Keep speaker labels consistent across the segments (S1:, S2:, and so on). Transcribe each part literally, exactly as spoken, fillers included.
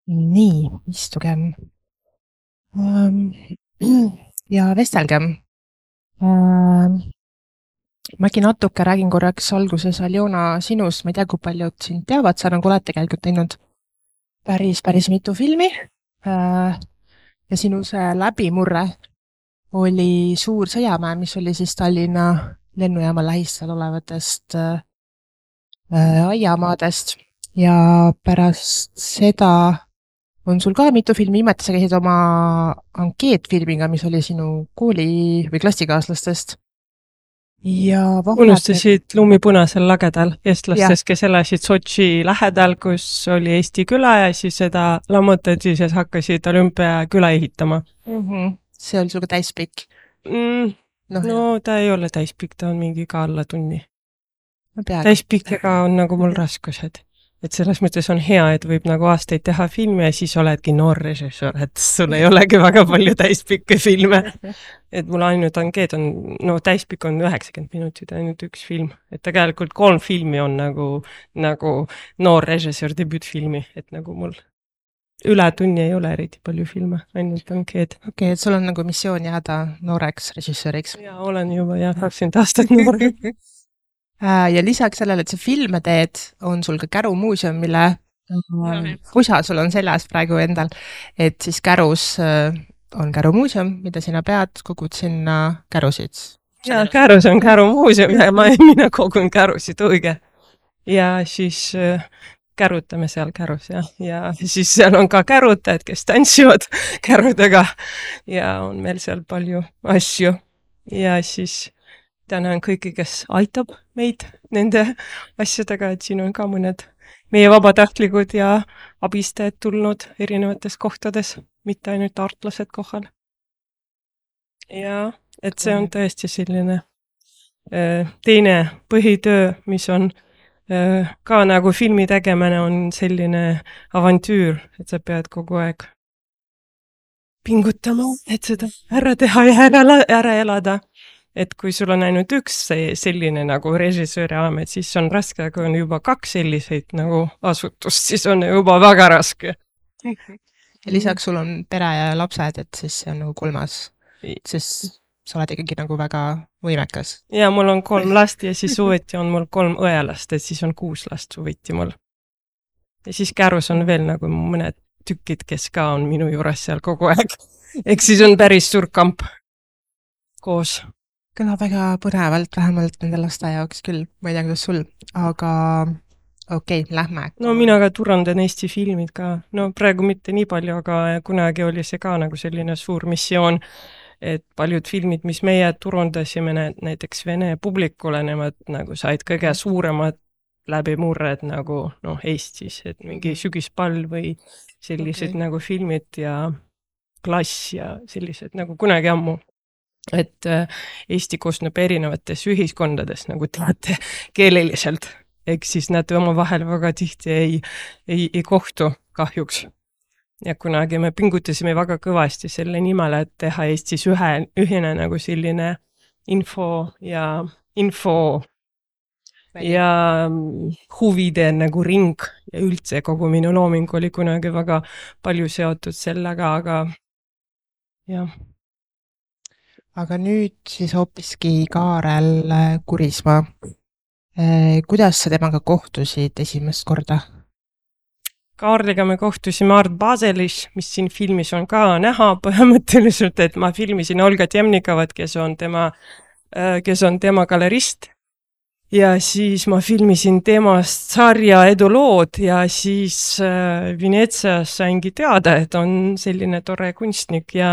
S1: Nii, istugem ähm, ja vestelgem. Ähm, Mägi natuke räägin korraks alguses Aljona sinust. Ma ei tea, kui paljud sind teavad, sa nagu oled tegelikult teinud päris, päris mitu filmi. Äh, ja sinu see läbimurre oli Suur sõjamäe, mis oli siis Tallinna lennujaama lähistel olevatest äh, äh, aiamaadest. Ja pärast seda on sul ka mitu filmi, viimati sa käisid oma ankeetfilmiga, mis oli sinu kooli või klassikaaslastest. Ja vahepeal,
S2: Unustasid lumipunasel lagedal
S1: jah,
S2: eestlastest, kes elasid Sotši lähedal, kus oli Eesti küla ja siis seda lammutati, siis hakkasid olümpiaküla ehitama.
S1: mhm, see oli sul ka täispikk.
S2: Mm,
S1: Noh,
S2: no ta ei ole täispikk, ta on mingi ka alla tunni.
S1: no peaaegu.
S2: Täispikkega on nagu mul raskused. Et selles mõttes on hea, et võib nagu aastaid teha filmi ja siis oledki noor režissöör, et sul ei olegi väga palju täispikke filme. Et mul ainult ankeed on, no täispikk on üheksakümmend minutit, ainult üks film. Et tegelikult kolm filmi on nagu, nagu noor režissöör debüütfilmi, et nagu mul üle tunni ei ole eriti palju filme, ainult ankeed.
S1: Okei, et sul on nagu missioon jääda nooreks režissööriks.
S2: Ja olen juba jah, kakskümmend aastat noor.
S1: Äh, Ja lisaks sellele, et sa filme teed, on sul ka Käru muuseum, mille ähm, pusa sul on seljas praegu endal. Et siis Kärus äh, on Käru muuseum, mida sina pead, kogud sinna kärusid.
S2: Ja Kärus on Käru muuseum ja ma, mina kogun kärusid, õige. Ja siis äh, kärutame seal Kärus ja, ja siis seal on ka kärutajad, kes tantsivad kärudega ja on meil seal palju asju. Ja siis tänan kõiki, kes aitab meid nende asjadega, et siin on ka mõned meie vabatahtlikud ja abistajad tulnud erinevates kohtades, mitte ainult artlased kohal. Ja et see on tõesti selline äh, teine põhitöö, mis on äh, ka nagu filmi tegemine on selline avantüür, et sa pead kogu aeg pingutama, et seda ära teha ja ära, ära elada. Et kui sul on ainult üks selline nagu režissööri amet, siis on raske, aga on juba kaks selliseid nagu asutust, siis on juba väga raske.
S1: Ja lisaks sul on pere ja lapsed, et siis see on nagu kolmas, sest sa oled ikkagi nagu väga võimekas.
S2: Ja mul on kolm last ja siis suveti on mul kolm õelast, et siis on kuus last suveti mul. Ja siis Kärus on veel nagu mõned tükid, kes ka on minu juures seal kogu aeg. Eks siis on päris suur kamp koos.
S1: Kõlab väga põnevalt, vähemalt nende laste jaoks küll, ma ei tea, kuidas sul, aga okei, okay, lähme.
S2: No mina ka turandan Eesti filmid ka, no praegu mitte nii palju, aga kunagi oli see ka nagu selline suur missioon, et paljud filmid, mis meie turundasime näiteks Vene publikule, nemad nagu said kõige suuremad läbimurred nagu noh, Eestis, et mingi Sügispall või sellised okay. nagu filmid ja Klass ja sellised nagu kunagi ammu. Et Eesti koosneb erinevates ühiskondades nagu teate keeleliselt, eks siis nad oma vahel väga tihti ei, ei, ei kohtu kahjuks. Ja kunagi me pingutasime väga kõvasti selle nimel, et teha Eestis ühe, ühine nagu selline info ja info ja huvide nagu ring ja üldse kogu minu looming oli kunagi väga palju seotud sellega, aga jah.
S1: Aga nüüd siis hoopiski Kaarel Kurismaa. Kuidas sa temaga kohtusid esimest korda?
S2: Kaarliga me kohtusime Art Baselis, mis siin filmis on ka näha põhimõtteliselt, et ma filmisin Olga Temnikovat, kes on tema, kes on tema galerist. Ja siis ma filmisin temast sarja edulood ja siis äh, Venetsias saingi teada, et on selline tore kunstnik ja,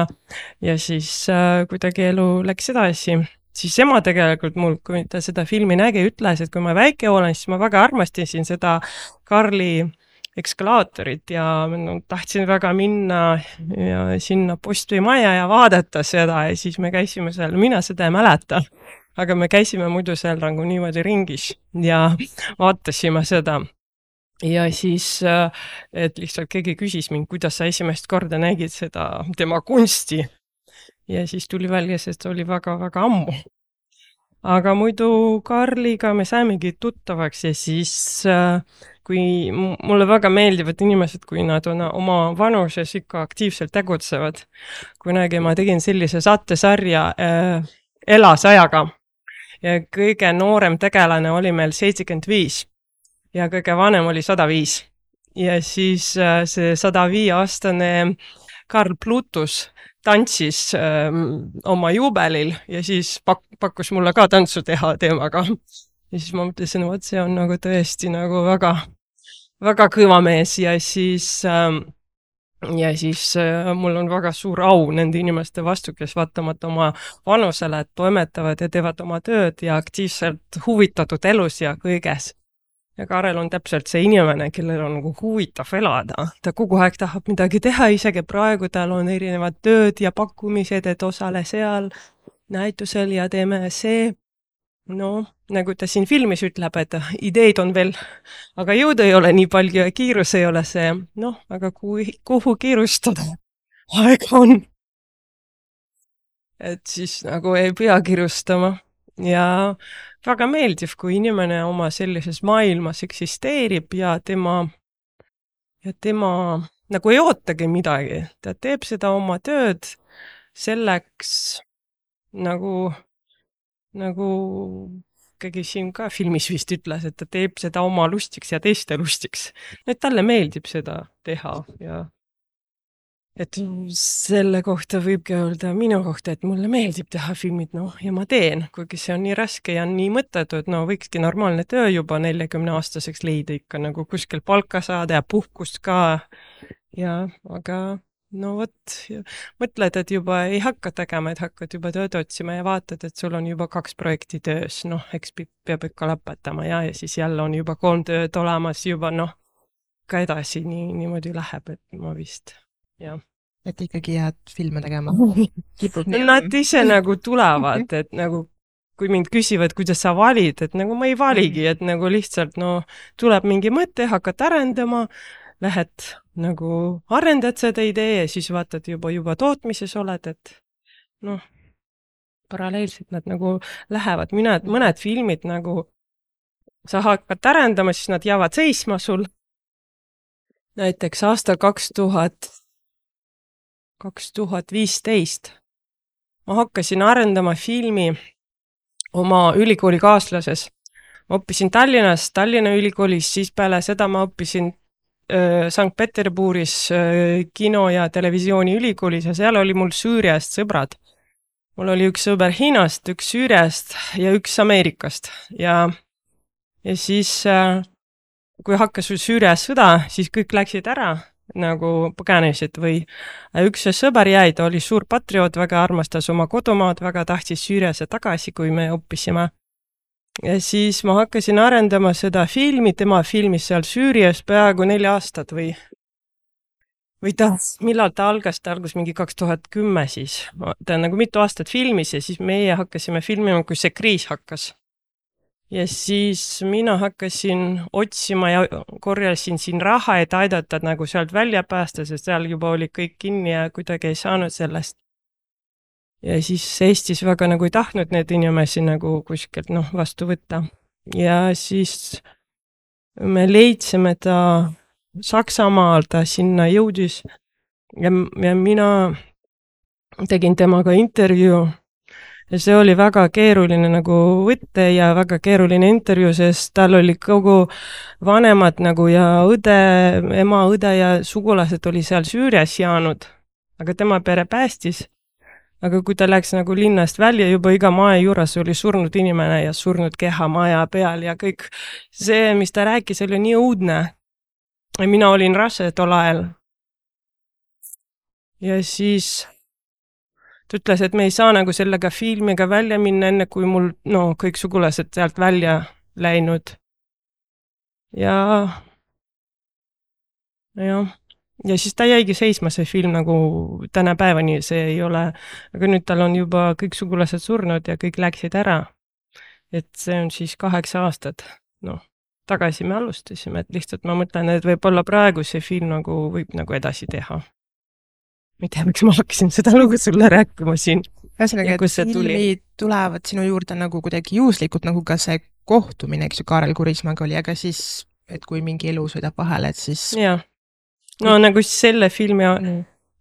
S2: ja siis äh, kuidagi elu läks edasi. Siis ema tegelikult mul, kui ta seda filmi nägi, ütles, et kui ma väike olen, siis ma väga armastasin seda Karli ekskalaatorit ja no, tahtsin väga minna ja sinna postimaja ja vaadata seda ja siis me käisime seal, mina seda ei mäleta. Aga me käisime muidu seal nagu niimoodi ringis ja vaatasime seda. Ja siis, et lihtsalt keegi küsis mind, kuidas sa esimest korda nägid seda tema kunsti. Ja siis tuli välja, sest oli väga-väga ammu. aga muidu Karliga me saimegi tuttavaks ja siis äh, kui m- mulle väga meeldivad inimesed, kui nad on oma vanuses ikka aktiivselt tegutsevad. kunagi ma tegin sellise saatesarja äh, Elasajaga ja kõige noorem tegelane oli meil seitsekümmend viis ja kõige vanem oli sada viis. Ja siis äh, see sada viie aastane Karl Plutus tantsis ähm, oma juubelil ja siis pak- pakkus mulle ka tantsu teha teemaga. Ja siis ma mõtlesin, vot see on nagu tõesti nagu väga, väga kõva mees ja siis ähm, ja siis äh, mul on väga suur au nende inimeste vastu, kes vaatamata oma vanusele toimetavad ja teevad oma tööd ja aktiivselt huvitatud elus ja kõiges. Ja Karel on täpselt see inimene, kellel on nagu huvitav elada. Ta kogu aeg tahab midagi teha, isegi praegu tal on erinevad tööd ja pakkumised, et osale seal näitusel ja teeme see. No, nagu ta siin filmis ütleb, et ideid on veel, aga jõudu ei ole nii palju ja kiirus ei ole see. Noh, aga kui, kuhu kiirustada? Aega on. Et siis nagu ei pea kiirustama. Ja väga meeldiv, kui inimene oma sellises maailmas eksisteerib ja tema, ja tema nagu ei ootagi midagi. Ta teeb seda oma tööd selleks nagu, nagu keegi siin ka filmis vist ütles, et ta teeb seda oma lustiks ja teiste lustiks. Et talle meeldib seda teha ja et selle kohta võibki öelda minu kohta, et mulle meeldib teha filmid, noh, ja ma teen, kuigi see on nii raske ja nii mõttetu, et no võikski normaalne töö juba neljakümne aastaseks leida ikka nagu kuskil palka saada ja puhkust ka. Ja, aga no vot, mõtled, et juba ei hakka tegema, et hakkad juba tööd otsima ja vaatad, et sul on juba kaks projekti töös, noh, eks peab ikka lõpetama ja, ja siis jälle on juba kolm tööd olemas juba, noh, ka edasi nii, niimoodi läheb, et ma vist... Ja.
S1: Et ikkagi jääd filme tegema. Kipub nii.
S2: Nad ise nagu tulevad, et nagu kui mind küsivad, kuidas sa valid, et nagu ma ei valigi, et nagu lihtsalt no tuleb mingi mõte, hakkad arendama, lähed nagu arendad seda idee ja siis vaatad juba juba tootmises oled, et noh, paralleelselt nad nagu lähevad. Mõned, mõned filmid nagu sa hakkad arendama, siis nad jäävad seisma sul. Näiteks aasta kaks tuhat kaks tuhat viisteist. Ma hakkasin arendama filmi oma ülikooli kaaslases. Ma õppisin Tallinnas, Tallinna ülikoolis, siis peale seda ma õppisin äh, Sankt-Peterburis äh, kino- ja televisiooni ülikoolis ja seal oli mul Süüriast sõbrad. Mul oli üks sõber Hiinast, üks Süüriast ja üks Ameerikast. Ja, ja siis, äh, kui hakkas Süürias sõda, siis kõik läksid ära. Nagu põgenesid või üks sõber jäi, ta oli suur patrioot, väga armastas oma kodumaad, väga tahtis Süüriasse tagasi, kui me õppisime. Ja siis ma hakkasin arendama seda filmi, tema filmis seal Süürias peaaegu nelja aastat või või ta, millal ta algas, ta algas mingi kaks tuhat kümme siis. Ta nagu mitu aastat filmis ja siis meie hakkasime filmima, kui see kriis hakkas. Ja siis mina hakkasin otsima ja korjasin siin raha, et aidata nagu sealt välja päästa, sest seal juba oli kõik kinni ja kuidagi ei saanud sellest. Ja siis Eestis väga nagu ei tahtnud need inimesi nagu kuskilt noh, vastu võtta. Ja siis me leidsime ta Saksamaal, ta sinna jõudis ja, ja mina tegin temaga intervjuu. Ja see oli väga keeruline nagu võtte ja väga keeruline intervjuu, sest tal oli kogu vanemad nagu ja õde, ema, õde ja sugulased oli seal Süürias jäänud, aga tema pere päästis. Aga kui ta läks nagu linnast välja, juba iga maja juures oli surnud inimene ja surnud keha maja peal ja kõik see, mis ta rääkis, oli nii õudne. Ja mina olin rase tol ajal. Ja siis... Ta ütles, et me ei saa nagu sellega filmiga välja minna, enne kui mul no, kõik sugulased sealt välja läinud. Ja, ja, ja siis ta jäigi seisma see film nagu täna päevani, see ei ole, aga nüüd tal on juba kõik sugulased surnud ja kõik läksid ära. Et see on siis kaheksa aastat. No, tagasi me alustasime, et lihtsalt ma mõtlen, et võib-olla praegu see film nagu võib nagu edasi teha. Ma ei tea, miks ma hakkasin seda lugu sulle rääkima siin.
S1: ühesõnaga,
S2: ja
S1: et
S2: kust see tuli?
S1: filmid tulevad sinu juurde nagu kuidagi juhuslikult, nagu ka see kohtumine, eks ju, Kaarel Kurismaga oli, aga siis, et kui mingi elu sõidab vahele, et siis
S2: jah, no nagu selle filmi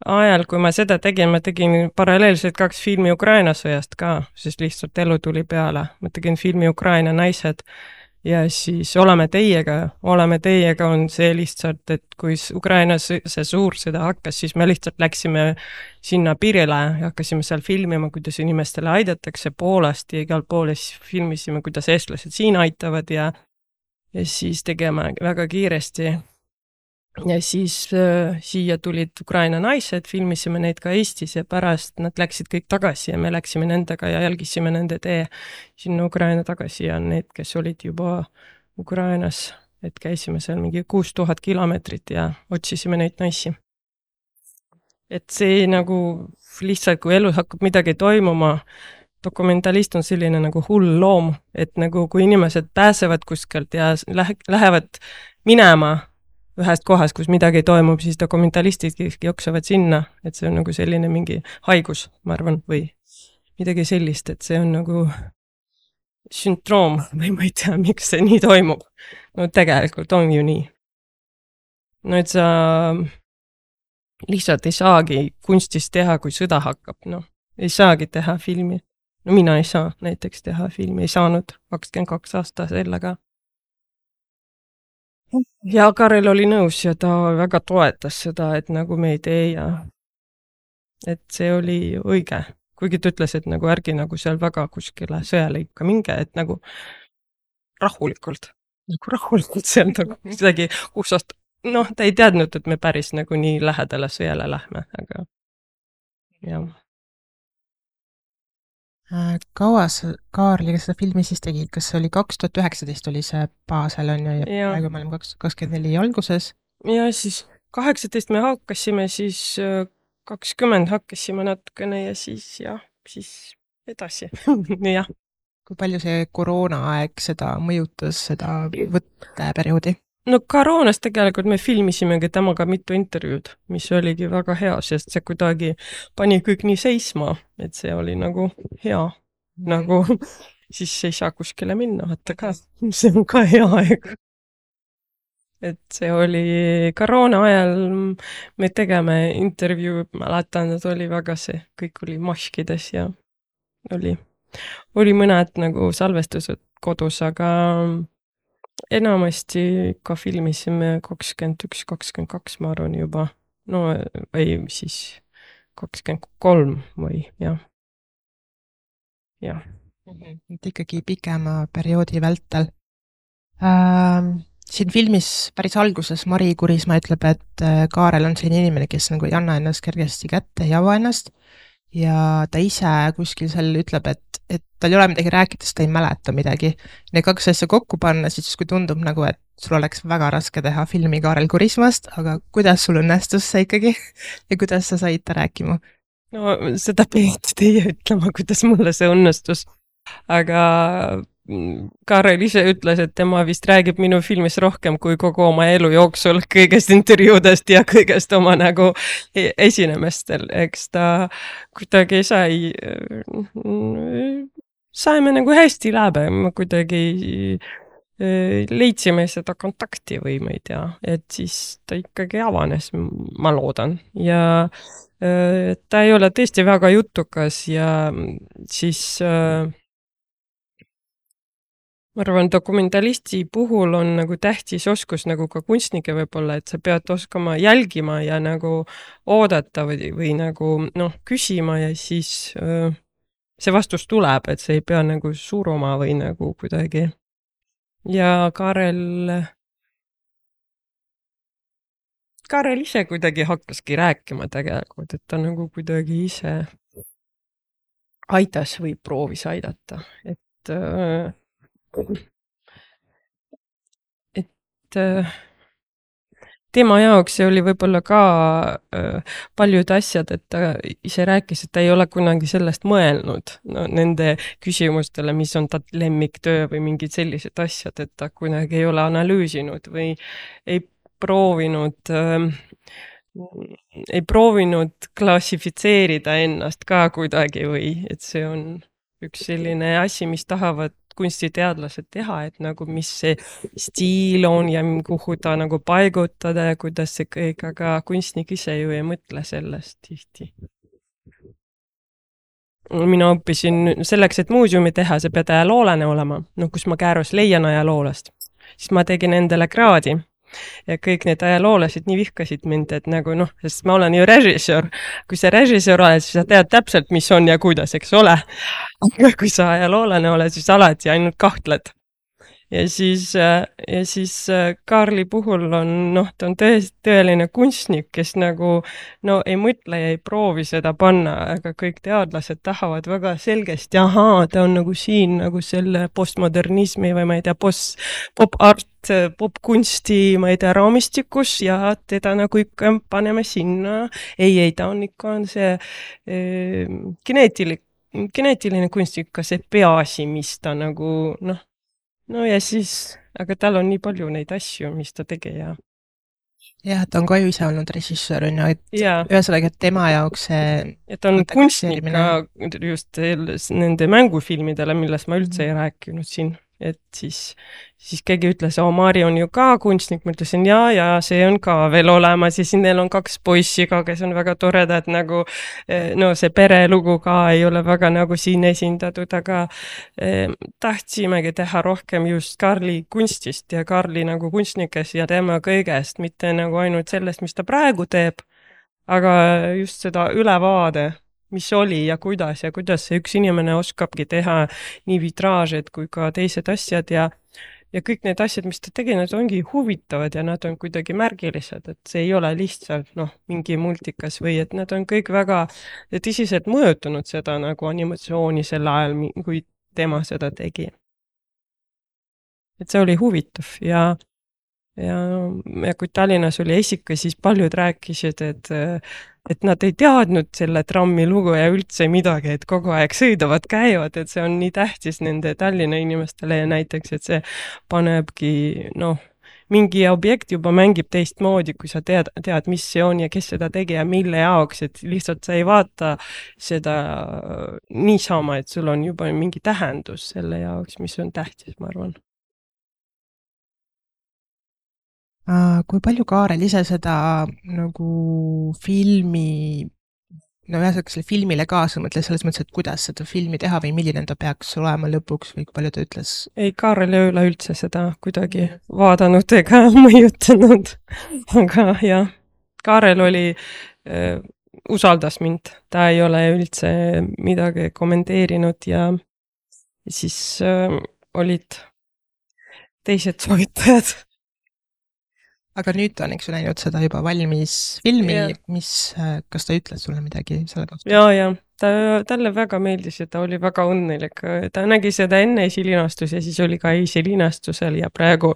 S2: ajal, kui ma seda tegin, ma tegin paralleelselt kaks filmi Ukraina sõjast ka, sest lihtsalt elu tuli peale. Ma tegin filmi Ukraina naised ja siis Oleme teiega, Oleme teiega on see lihtsalt, et kui Ukrainas see suur sõda hakkas, siis me lihtsalt läksime sinna piirile ja hakkasime seal filmima, kuidas inimestele aidatakse Poolast ja igal pool ja siis filmisime, kuidas eestlased siin aitavad ja, ja siis tegema väga kiiresti. Ja siis äh, siia tulid Ukraina naised, filmisime neid ka Eestis ja pärast nad läksid kõik tagasi ja me läksime nendega ja jälgisime nende tee sinna Ukraina tagasi ja need, kes olid juba Ukrainas, et käisime seal mingi kuus tuhat kilomeetrit ja otsisime neid naisi. Et see nagu lihtsalt, kui elus hakkab midagi toimuma, dokumentalist on selline nagu hull loom, et nagu kui inimesed pääsevad kuskilt ja lähe, lähevad minema ühest kohast, kus midagi toimub, siis dokumentalistid jooksevad sinna, et see on nagu selline mingi haigus, ma arvan, või midagi sellist, et see on nagu sündroom või ma ei tea, miks see nii toimub. No tegelikult on ju nii. No et sa lihtsalt ei saagi kunstist teha, kui sõda hakkab, noh. Ei saagi teha filmi. No mina ei saa näiteks teha filmi, ei saanud kakskümmend kaks aasta sellega. Ja Karel oli nõus ja ta väga toetas seda, et nagu me ei tee ja et see oli õige. Kuigi ta ütles, et nagu ärgi nagu seal väga kuskile sõjale ikka minge, et nagu rahulikult, nagu rahulikult seal nagu midagi kusast, noh, ta ei teadnud, et me päris nagu nii lähedale sõjale lähme, aga jah.
S1: Kaua sa Kaarliga seda filmi siis tegid? Kas see oli kaks tuhat üheksateist oli see baasel on ju ja
S2: Ja.
S1: praegu me oleme kaks tuhat kakskümmend neli alguses?
S2: Ja siis kaheksateist me hakkasime, siis äh, kakskümmend hakkasime natukene ja siis jah, siis edasi. jah.
S1: Kui palju see koroonaaeg seda mõjutas, seda võtteperioodi?
S2: No koroonast tegelikult me filmisimegi temaga mitu intervjuud, mis oligi väga hea, sest see kuidagi pani kõik nii seisma, et see oli nagu hea. Nagu siis ei saa kuskile minna, vaata ka. See on ka hea aeg. Et see oli koroona ajal, me tegeme intervjuu, mäletan, et oli väga see, kõik oli maskides ja oli, oli mõned nagu salvestused kodus, aga enamasti ikka filmisime kakskümmend üks, kakskümmend kaks, ma arvan juba. No või siis kakskümmend kolm või jah. Jah.
S1: Et ikkagi pikema perioodi vältel. Ähm, siin filmis päris alguses Mari Kurisma ütleb, et Kaarel on selline inimene, kes nagu ei anna ennast kergesti kätte, ei ava ennast. Ja ta ise kuskil seal ütleb, et, et tal ei ole midagi rääkida, sest ta ei mäleta midagi. Need kaks asja kokku panna, siis kui tundub nagu, et sul oleks väga raske teha filmi Kaarel Kurismast, aga kuidas sul õnnestus see ikkagi ja kuidas sa said ta rääkima?
S2: No seda peeti teie ütlema, kuidas mulle see õnnestus. Aga Kaarel ise ütles, et tema vist räägib minu filmis rohkem kui kogu oma elu jooksul kõigest intervjuudest ja kõigest oma nagu esinemestel. Eks ta kuidagi sai, saime nagu hästi läbi, me kuidagi leidsime seda kontakti või ma ei tea, et siis ta ikkagi avanes, ma loodan. Ja ta ei ole tõesti väga jutukas ja siis ma arvan, dokumentalisti puhul on nagu tähtis oskus nagu ka kunstnike võib-olla, et sa pead oskama jälgima ja nagu oodata või, või nagu noh, küsima ja siis öö, see vastus tuleb, et see ei pea nagu suruma või nagu kuidagi. Ja Kaarel, Kaarel ise kuidagi hakkaski rääkima tegelikult, et ta nagu kuidagi ise aitas või proovis aidata, et öö, et tema jaoks see oli võib-olla ka paljud asjad, et ta ise rääkis, et ta ei ole kunagi sellest mõelnud no, nende küsimustele, mis on ta lemmiktöö või mingid sellised asjad, et ta kunagi ei ole analüüsinud või ei proovinud ei proovinud klassifitseerida ennast ka kuidagi või et see on üks selline asi, mis tahavad kunstiteadlased teha, et nagu mis see stiil on ja kuhu ta nagu paigutada ja kuidas see kõik, aga kunstnik ise ju ei mõtle sellest tihti. Mina õppisin selleks, et muuseumi teha, see pead ajaloolane olema, noh, kus ma käärus leian ajaloolast, siis ma tegin endale kraadi. Ja kõik need ajaloolased nii vihkasid mind, et nagu noh, sest ma olen ju režissöör. Kui sa režissöör oled, siis sa tead täpselt, mis on ja kuidas, eks ole. Aga kui sa ajaloolane oled, siis alati ainult kahtled. Ja siis, ja siis Kaarli puhul on, noh, ta on tõest, tõeline kunstnik, kes nagu, no ei mõtle ja ei proovi seda panna, aga kõik teadlased tahavad väga selgesti, ahaa, ta on nagu siin nagu selle postmodernismi või ma ei tea, post, pop-art, pop-kunsti, ma ei tea, raamistikus ja teda nagu ikka paneme sinna. Ei, ei, ta on ikka on see eh, geneetilik, geneetiline kunstnik, ka see peaasi, mis ta nagu, noh, no ja siis, aga tal on nii palju neid asju, mis ta tegi ja.
S1: Jah, ta on ka ju ise olnud režissöör, on ju, et ja. Ühesõnaga, et tema jaoks see...
S2: Et on kunstnik ka just nende mängufilmidele, millest ma üldse ei rääkinud siin. Et siis, siis keegi ütles, oo, Mari on ju ka kunstnik, ma ütlesin, jaa, ja see on ka veel olemas ja siin neil on kaks poissi ka, kes on väga toredad, nagu no see perelugu ka ei ole väga nagu siin esindatud, aga eh, tahtsimegi teha rohkem just Kaarli kunstist ja Kaarli nagu kunstnikest ja tema kõigest, mitte nagu ainult sellest, mis ta praegu teeb, aga just seda ülevaade, mis oli ja kuidas ja kuidas see üks inimene oskabki teha nii vitraažed kui ka teised asjad ja, ja kõik need asjad, mis ta tegi, nad ongi huvitavad ja nad on kuidagi märgilised, et see ei ole lihtsalt noh, mingi multikas või et nad on kõik väga tõsiselt mõjutanud seda nagu animatsiooni sel ajal, kui tema seda tegi. Et see oli huvitav ja Ja, ja kui Tallinnas oli esika, siis paljud rääkisid, et, et nad ei teadnud selle trammi lugu ja üldse midagi, et kogu aeg sõidavad, käivad, et see on nii tähtis nende Tallinna inimestele ja näiteks, et see panebki, noh, mingi objekt juba mängib teistmoodi, kui sa tead, tead, mis see on ja kes seda tegi ja mille jaoks, et lihtsalt sa ei vaata seda niisama, et sul on juba mingi tähendus selle jaoks, mis on tähtis, ma arvan.
S1: Kui palju Kaarel ise seda nagu filmi, no ühesõnaga selle filmile kaasa mõtles selles mõttes, et kuidas seda filmi teha või milline ta peaks olema lõpuks või kui palju ta ütles?
S2: Ei, Kaarel ei ole üldse seda kuidagi vaadanud ega mõjutanud, aga jah, Kaarel oli, äh, usaldas mind, ta ei ole üldse midagi kommenteerinud ja siis äh, olid teised soovitajad.
S1: Aga nüüd ta on, eks ju, näinud seda juba valmis filmi, ja. Mis, kas ta ütles sulle midagi selle kohta?
S2: Jaa, jah, ta, talle väga meeldis ja ta oli väga õnnelik. Ta nägi seda enne esilinastus ja siis oli ka esilinastusel ja praegu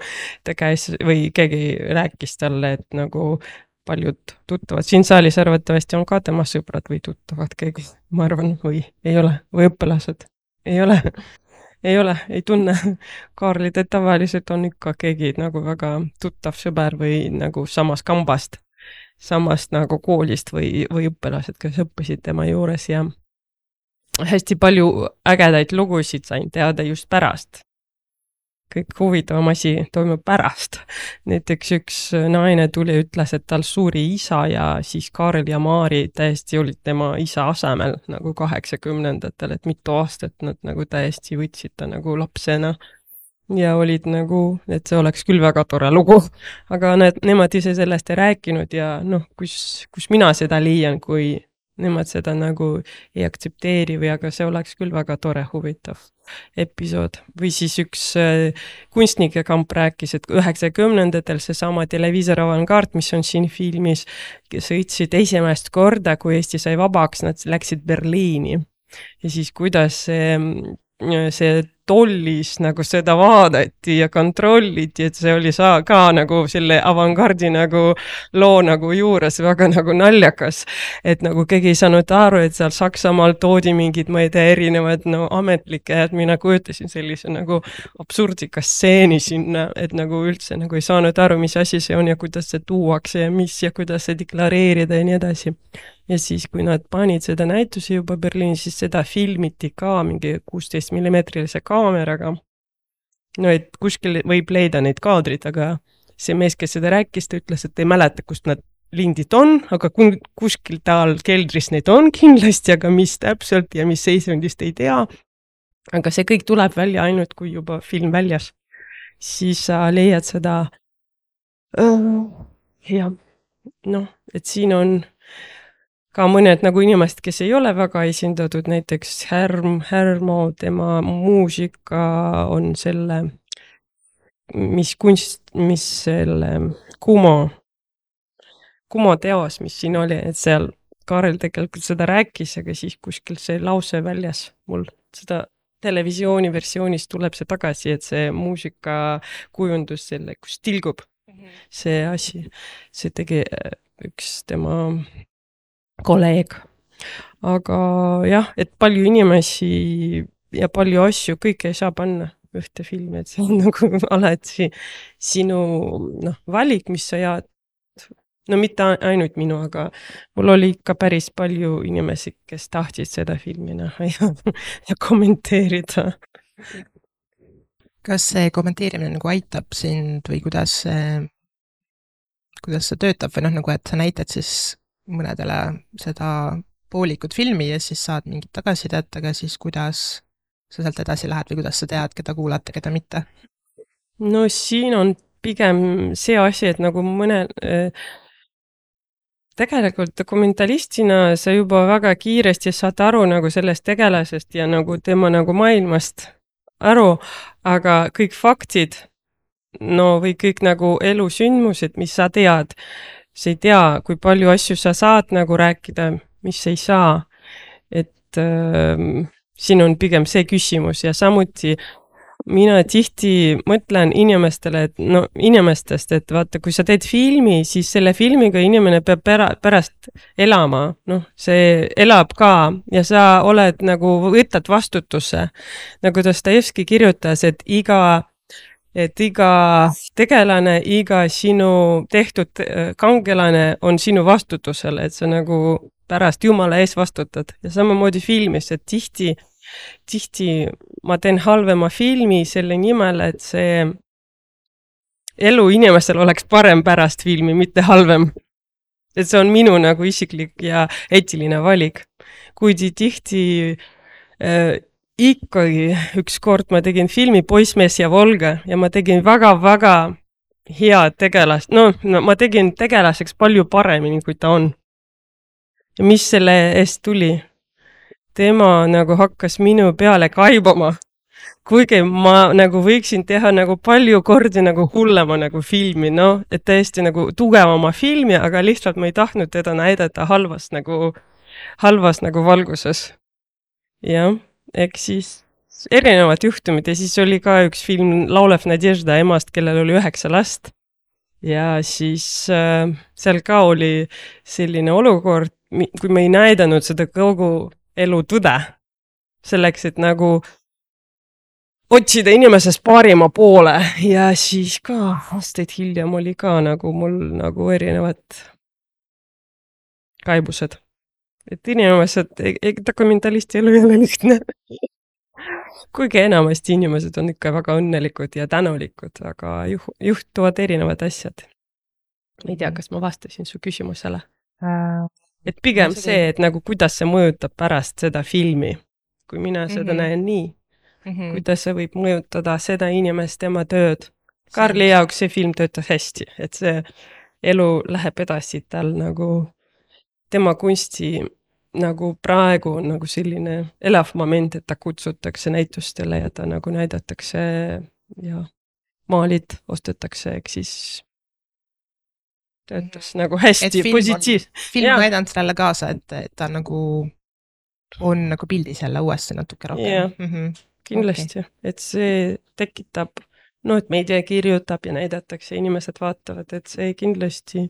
S2: ta käis või keegi rääkis talle, et nagu paljud tuttavad. Siin saalis arvatavasti on ka tema sõbrad või tuttavad keegi, ma arvan, või ei ole, või õppelased. Ei ole. Ei ole, ei tunne Kaarlit, et tavaliselt on ikka keegi nagu väga tuttav sõber või nagu samast kambast, samast nagu koolist või, või õppelased, kes õppisid tema juures ja hästi palju ägedaid lugusid sain teada just pärast. Kõik huvitavam asi toimub pärast. Näiteks üks naine tuli ja ütles, et tal suuri isa ja siis Kaarel ja Mari täiesti olid tema isa asemel nagu kaheksakümnendatel, et mitu aastat nad nagu täiesti võtsid ta nagu lapsena ja olid nagu, et see oleks küll väga tore lugu, aga need, nemad ise sellest ei rääkinud ja noh, kus, kus mina seda leian, kui nemad seda nagu ei aktsepteeri või aga see oleks küll väga tore huvitav episood. Või siis üks äh, kunstnike kamp rääkis, et üheksakümnendatel seesama televiisor Avangard, mis on siin filmis, sõitsid esimest korda, kui Eesti sai vabaks, nad läksid Berliini. Ja siis kuidas see see tollis nagu seda vaadati ja kontrolliti, et see oli saa ka nagu selle avantgardi nagu loo nagu juures väga nagu naljakas, et nagu keegi ei saanud aru, et seal Saksamaal toodi mingid, ma ei tea, erinevad no ametlikke, et mina kujutasin sellise nagu absurdika stseeni sinna, et nagu üldse nagu ei saanud aru, mis asi see on ja kuidas see tuuakse ja mis ja kuidas see deklareerida ja nii edasi. Ja siis, kui nad panid seda näituse juba Berliinis, siis seda filmiti ka mingi kuusteist millimeetrilise kaameraga. No, et kuskil võib leida neid kaadrid, aga see mees, kes seda rääkis, ta ütles, et ei mäleta, kust nad lindid on, aga kuskil tal keldris neid on kindlasti, aga mis täpselt ja mis seisundist ei tea. Aga see kõik tuleb välja ainult, kui juba film väljas. Siis sa leiad seda uh, ja noh, et siin on ka mõned nagu inimesed, kes ei ole väga esindatud, näiteks Härm, Härmo, tema muusika on selle, mis kunst, mis selle Kumo, Kumo teos, mis siin oli, et seal Kaarel tegelikult seda rääkis, aga siis kuskil see lause väljas mul seda televisiooni versioonis tuleb see tagasi, et see muusika kujundus selle, kus tilgub see asi, see tegi üks tema kolleeg. Aga jah, et palju inimesi ja palju asju, kõike ei saa panna ühte filmi, et see on nagu alati sinu noh, valik, mis sa jaad. No mitte ainult minu, aga mul oli ikka päris palju inimesi, kes tahtsid seda filmi näha ja, ja kommenteerida.
S1: Kas see kommenteerimine nagu aitab sind või kuidas see, kuidas see töötab või noh, nagu et sa näitad siis mõnedele seda poolikut filmi ja siis saad mingit tagasisidet, aga siis kuidas sa sealt edasi lähed või kuidas sa tead, keda kuulata, keda mitte?
S2: No siin on pigem see asi, et nagu mõne äh, tegelikult dokumentalistina sa juba väga kiiresti saad aru nagu sellest tegelasest ja nagu tema nagu maailmast aru, aga kõik faktid, no või kõik nagu elusündmused, mis sa tead, sa ei tea, kui palju asju sa saad nagu rääkida, mis ei saa. Et äh, siin on pigem see küsimus ja samuti mina tihti mõtlen inimestele, et no inimestest, et vaata, kui sa teed filmi, siis selle filmiga inimene peab pära, pärast elama, noh, see elab ka ja sa oled nagu, võtad vastutuse. Nagu Dostojevski kirjutas, et iga, et iga tegelane, iga sinu tehtud kangelane on sinu vastutusel, et sa nagu pärast Jumala ees vastutad ja samamoodi filmis, et tihti tihti ma teen halvema filmi selle nimel, et see elu inimestel oleks parem pärast filmi, mitte halvem. Et see on minu nagu isiklik ja eetiline valik. Kuigi tihti äh, ikkagi üks kord ma tegin filmi Poissmees ja Volga ja ma tegin väga-väga hea tegelast. No, no ma tegin tegelaseks palju paremini, kui ta on. Ja mis selle eest tuli? Tema nagu hakkas minu peale kaibama, kuigi ma nagu võiksin teha nagu palju kordi nagu hullema nagu filmi, no, et täiesti nagu tugevama filmi, aga lihtsalt ma ei tahtnud teda näidata halvas nagu, halvas nagu valguses. Jah, ehk siis erinevad juhtumid ja siis oli ka üks film Laulev Nadežda emast, kellel oli üheksa last. Ja siis äh, seal ka oli selline olukord, kui me ei näidanud seda kogu elu tõde, selleks, et nagu otsida inimesest parima poole ja siis ka aastaid hiljem oli ka nagu mul nagu erinevad kaibused. Et inimesed, dokumentalisti elu ei ole lihtne. Kuigi enamasti inimesed on ikka väga õnnelikud ja tänulikud, aga juh, juhtuvad erinevad asjad. Ei tea, kas ma vastasin su küsimusele? Äh. Et pigem see, et nagu kuidas see mõjutab pärast seda filmi, kui mina seda mm-hmm. näen nii, mm-hmm. kuidas see võib mõjutada seda inimest, tema tööd. Karli jaoks see film töötas hästi, et see elu läheb edasi tal nagu tema kunsti nagu praegu on nagu selline elav moment, et ta kutsutakse näitustele ja ta nagu näidatakse ja maalid ostetakse, eks siis töötas nagu hästi positiivs.
S1: Film on näidanud sellele kaasa, et, et ta nagu on nagu pildis jälle uuesti natuke rohkem.
S2: Yeah.
S1: Mm-hmm.
S2: kindlasti okay., et see tekitab, no et meedia kirjutab ja näidatakse, inimesed vaatavad, et see kindlasti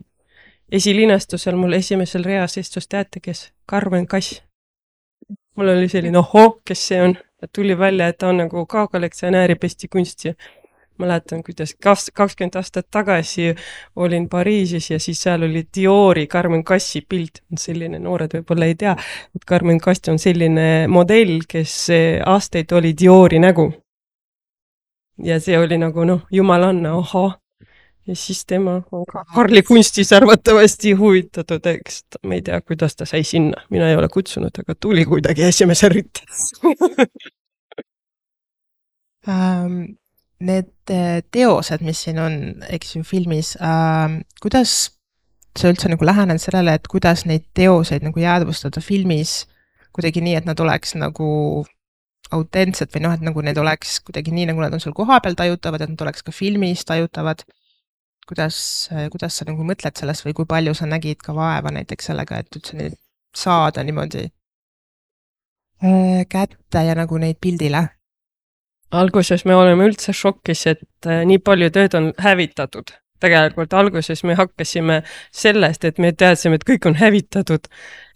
S2: esilinastusel mul esimesel reas istus teate, kes? Karmen Kass. Mul oli selline, oho, kes see on? Tuli välja, et ta on nagu ka kollektsionääri pestikunst ja mäletan, kuidas kakskümmend aastat tagasi olin Pariisis ja siis seal oli Diori Carmen Kassi pilt. Selline noored võib-olla ei tea, et Carmen Kass on selline modell, kes aastaid oli Diori nägu. Ja see oli nagu, noh, jumalanna, oho. Ja siis tema on ka Karli kunstis arvatavasti huvitatud, eks ma ei tea, kuidas ta sai sinna. Mina ei ole kutsunud, aga tuli kuidagi esimese rüttes.
S1: um... Need teosed, mis siin on, eks ju, filmis, äh, kuidas sa üldse nagu lähened sellele, et kuidas neid teoseid nagu jäädvustada filmis kuidagi nii, et nad oleks nagu autentsed või noh, et nagu need oleks kuidagi nii, nagu nad on sul koha peal tajutavad, et nad oleks ka filmis tajutavad. Kuidas, kuidas sa nagu mõtled sellest või kui palju sa nägid ka vaeva näiteks sellega, et üldse neid saada niimoodi äh, kätte ja nagu neid pildile?
S2: Alguses me oleme üldse šokis, et nii palju tööd on hävitatud. Tegelikult alguses me hakkasime sellest, et me teadsime, et kõik on hävitatud.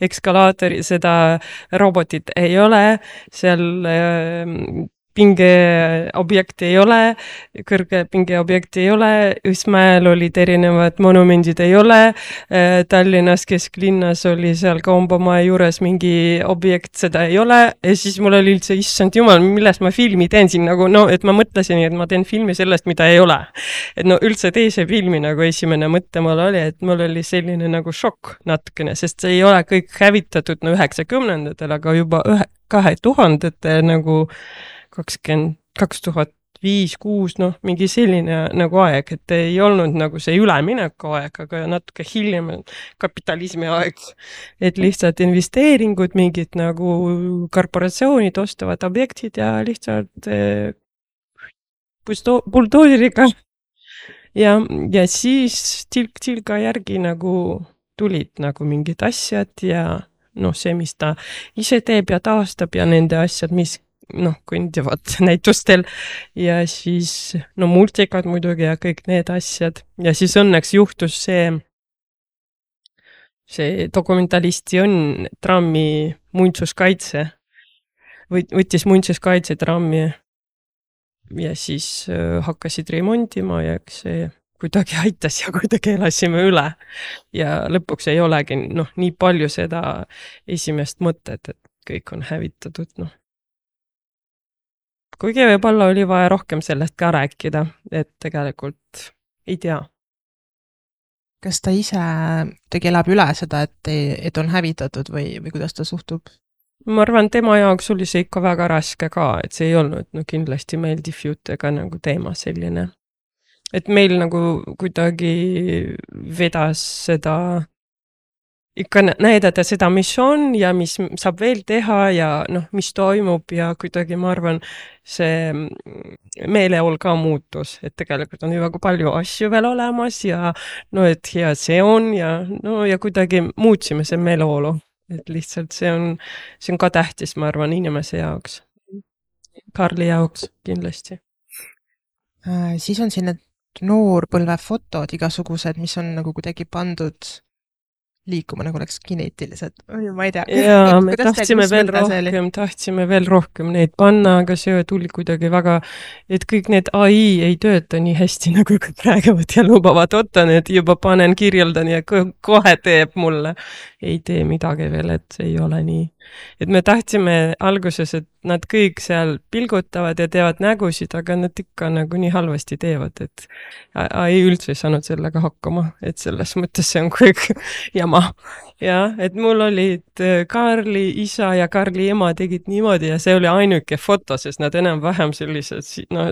S2: Ekskalaatori, seda robotit ei ole, seal pingeobjekti ei ole, kõrge pingeobjekti ei ole, Õismäel olid erinevad monumendid ei ole, Tallinnas kesklinnas oli seal Kaumbamaa juures mingi objekt, seda ei ole, ja siis mul oli üldse, issand jumal, millest ma filmi teen siin, nagu no, et ma mõtlesin, et ma teen filmi sellest, mida ei ole. Et no üldse teise filmi nagu esimene mõtte mul oli, et mul oli selline nagu šokk natukene, sest see ei ole kõik hävitatud no üheksakümnendatel, aga juba ühe, kahe tuhandete nagu kakskümmend, kaks tuhat viis, kuus, noh, mingi selline nagu aeg, et ei olnud nagu see ülemineku aeg, aga natuke hiljem kapitalismi aeg, et lihtsalt investeeringud, mingid nagu korporatsioonid ostavad objektid ja lihtsalt eh, buldooseriga ja, ja siis tilk-tilga järgi nagu tulid nagu mingid asjad ja noh, see, mis ta ise teeb ja taastab ja nende asjad, mis noh, kõndivad näitustel ja siis no multikad muidugi ja kõik need asjad ja siis õnneks juhtus see see dokumentalisti on trammi muintsuskaitse võttis muintsuskaitse trammi ja siis äh, hakkasid remontima ja eks see kuidagi aitas ja kuidagi elasime üle ja lõpuks ei olegi noh, nii palju seda esimest mõtet, et kõik on hävitatud, noh. Kuigi võib-olla oli vaja rohkem sellest ka rääkida, et tegelikult ei tea.
S1: Kas ta ise tegi elab üle seda, et, et on hävitatud või, või kuidas ta suhtub?
S2: Ma arvan, tema jaoks oli see ikka väga raske ka, et see ei olnud no, kindlasti meeldiv jutt ega nagu teema selline. Et meil nagu kuidagi vedas seda ikka näidata seda, mis on ja mis saab veel teha ja noh, mis toimub ja kuidagi ma arvan, see meeleol ka muutus, et tegelikult on ju väga palju asju veel olemas ja no, et hea see on ja no ja kuidagi muutsime see meeleolu, et lihtsalt see on, see on ka tähtis, ma arvan, inimese jaoks. Karli jaoks kindlasti.
S1: Äh, siis on siin need noorpõlvefotod igasugused, mis on nagu kuidagi pandud liikuma, nagu oleks kineetiliselt. Ma ei tea.
S2: Jaa, me tahtsime veel rohkem, tahtsime veel rohkem neid panna, aga see tuli kuidagi väga, et kõik need A I ei tööta nii hästi, nagu kõik räägivad ja lubavad, otan, et juba panen, kirjeldan ja kohe teeb mulle. Ei tee midagi veel, et see ei ole nii. Et me tahtsime alguses, et nad kõik seal pilgutavad ja teevad nägusid, aga nad ikka nagu nii halvasti teevad, et A I üldse ei saanud sellega hakkama, et selles mõttes see on kõik jama. Ja, et mul olid Karli isa ja Karli ema tegid niimoodi ja see oli ainuke foto, sest nad enam vähem sellised no,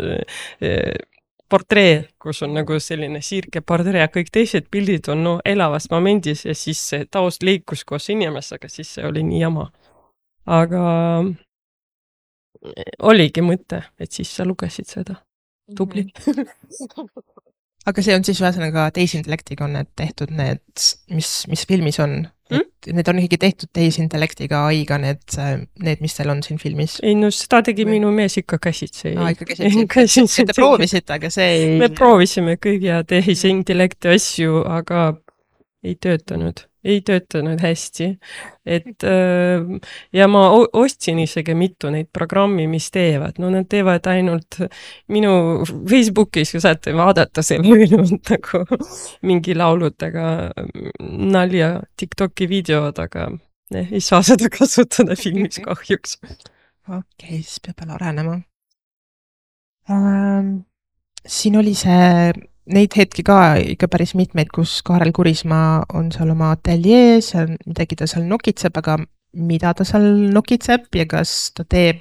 S2: portree, kus on nagu selline siirke portree ja kõik teised pildid on no, elavas momendis ja siis see taust liikus koos inimesega, siis see oli nii jama. Aga oligi mõte, et siis sa lugesid seda. Tubli.
S1: Aga see on siis ühesõnaga teisintellektiga on need tehtud need, mis, mis filmis on?
S2: Mm?
S1: need on ikkagi tehtud tehisintellektiga A I-ga, need, need, mis teil on siin filmis?
S2: ei no seda tegi minu mees ikka käsitsi.
S1: Aa, ikka käsitsi. Te proovisite, aga see ei...
S2: Me proovisime kõik ja tehisintellekti asju, aga ei töötanud. Ei töötanud hästi. Et, ja ma ostsin isegi mitu neid programmi, mis teevad. No nad teevad ainult minu Facebookis, kui saate vaadata selle ülenud nagu mingi lauludega nalja TikToki videod, aga ne, ei saa seda kasutada filmis kahjuks.
S1: Okei, okay, siis peab veel arenema. Ähm, siin oli see... Neid hetki ka ikka päris mitmeid, kus Kaarel Kurismaa on seal oma ateljees ja midagi ta seal nokitseb, aga mida ta seal nokitseb ja kas ta teeb,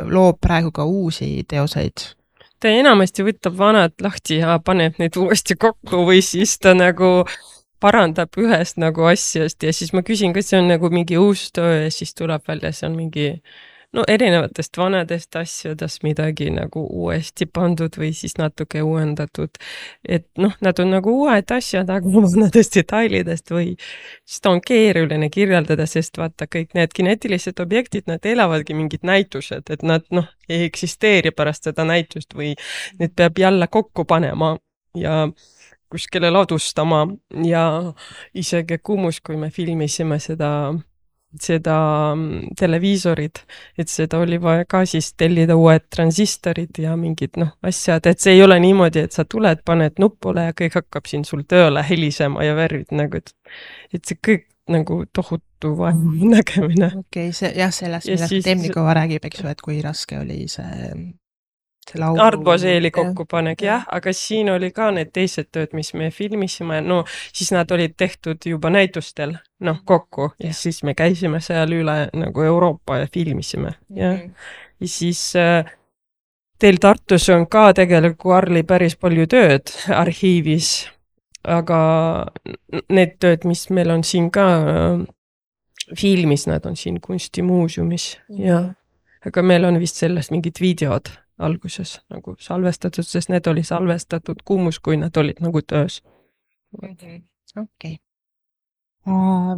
S1: loob praegu ka uusi teoseid?
S2: Ta enamasti võtab vanad lahti ja paneb neid uuesti kokku või siis ta nagu parandab ühest nagu asjast ja siis ma küsin, kas see on nagu mingi uus töö ja siis tuleb välja, see on mingi no erinevatest vanadest asjadest midagi nagu uuesti pandud või siis natuke uuendatud. Et noh, nad on nagu uued asjad, aga vanadest detailidest või siis ta on keeruline kirjeldada, sest vaata kõik need kinetilised objektid, nad elavadki mingid näitused, et nad noh, ei eksisteeri pärast seda näitust või need peab jälle kokku panema ja kuskile ladustama ja isegi Kumus, kui me filmisime seda seda televiisorid, et seda oli vaja ka siis tellida uued transistorid ja mingid noh, asjad, et see ei ole niimoodi, et sa tuled, paned nupule ja kõik hakkab siin sul tööle helisema ja värvid nagu, et, et see kõik nagu tohutu vaevu nägemine.
S1: Okei, okay, see jah, sellest, millest siis... Temnikova räägib, eks ju, et kui raske oli see
S2: Artboseeli kokkupanek, jah, aga siin oli ka need teised tööd, mis me filmisime, no siis nad olid tehtud juba näitustel, noh, kokku ja, ja siis me käisime seal üle nagu Euroopa ja filmisime, jah. Ja siis äh, teil Tartus on ka tegelikult Karli päris palju tööd arhiivis, aga need tööd, mis meil on siin ka äh, filmis, nad on siin kunstimuuseumis, jah. Aga meil on vist sellest mingid videod alguses nagu salvestatud, sest need oli salvestatud Kumus, kui nad olid nagu töös.
S1: Okei. Okay.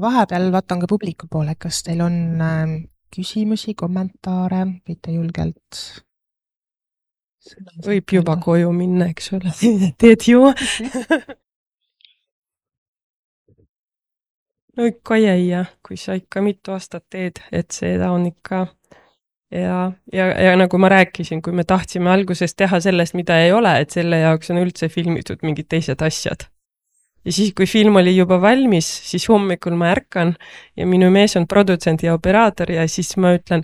S1: Vahepeal vaatan ka publiku poole, kas teil on äh, küsimusi, kommentaare, võite julgelt?
S2: Võib juba koju minna, eks ole. Teed ju? No ikka jäi, jah, kui sa ikka mitu aastat teed, et seda on ikka Ja, ja, ja nagu ma rääkisin, kui me tahtsime alguses teha sellest, mida ei ole, et selle jaoks on üldse filmitud mingid teised asjad. Ja siis, kui film oli juba valmis, siis hommikul ma ärkan ja minu mees on produtsent ja operaator ja siis ma ütlen,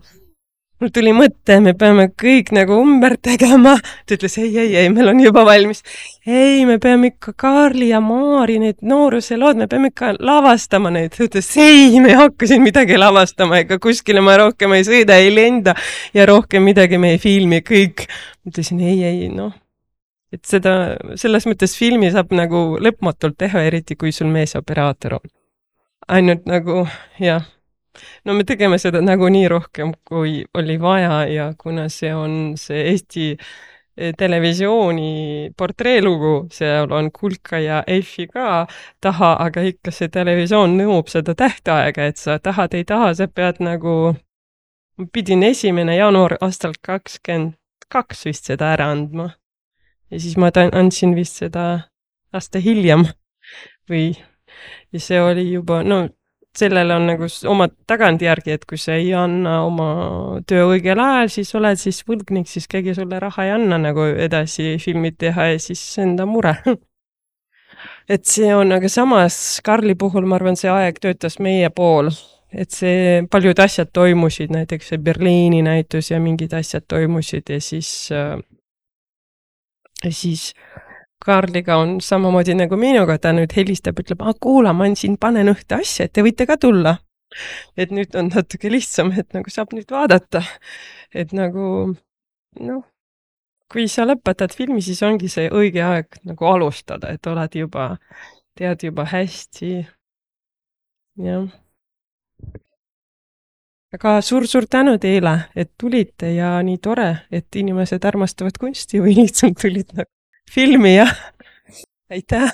S2: mul tuli mõte, me peame kõik nagu umber tegema. Ta ütles, ei, ei, ei, meil on juba valmis. Ei, me peame ikka Karli ja Maari, need nooruse lood, me peame ikka lavastama neid. Ta ütles, ei, me hakkasin midagi lavastama, ega kuskile ma rohkem ei sõida, ei lenda ja rohkem midagi me ei filmi, kõik. Ma ütlesin, ei, ei, noh. Et seda, selles mõttes filmi saab nagu lõpmatult teha, eriti kui sul mees operaator on. Ainult nagu, jah. No me tegeme seda nagu nii rohkem, kui oli vaja ja kuna see on see Eesti televisiooni portreelugu, seal on Kulka ja Eifi ka taha, aga ikka see televisioon nõuab seda tähtaega, et sa tahad, ei taha, sa pead nagu, pidin esimene jaanuar aastal kakskümmend kaks vist seda ära andma. Ja siis ma andsin vist seda aasta hiljem või ja see oli juba, no sellel on nagu oma tagantjärgi, et kui sa ei anna oma töö õigel ajal, siis oled siis võlgnik, siis keegi sulle raha ei anna nagu edasi filmid teha ja siis enda mure. Et see on, aga samas Karli puhul, ma arvan, see aeg töötas meie pool, et see paljud asjad toimusid, näiteks see Berliini näitus ja mingid asjad toimusid ja siis, ja siis Karliga on samamoodi nagu minuga, ta nüüd helistab, ütleb, ah, kuula, ma siin panen ühte asja, et te võite ka tulla. Et nüüd on natuke lihtsam, et nagu saab nüüd vaadata. Et nagu, noh, kui sa lõpetad filmi, siis ongi see õige aeg nagu alustada, et oled juba, tead juba hästi. Jah. Aga suur-suur tänu teile, et tulite ja nii tore, et inimesed armastavad kunsti või lihtsalt tulid nagu filmi ja aitäh!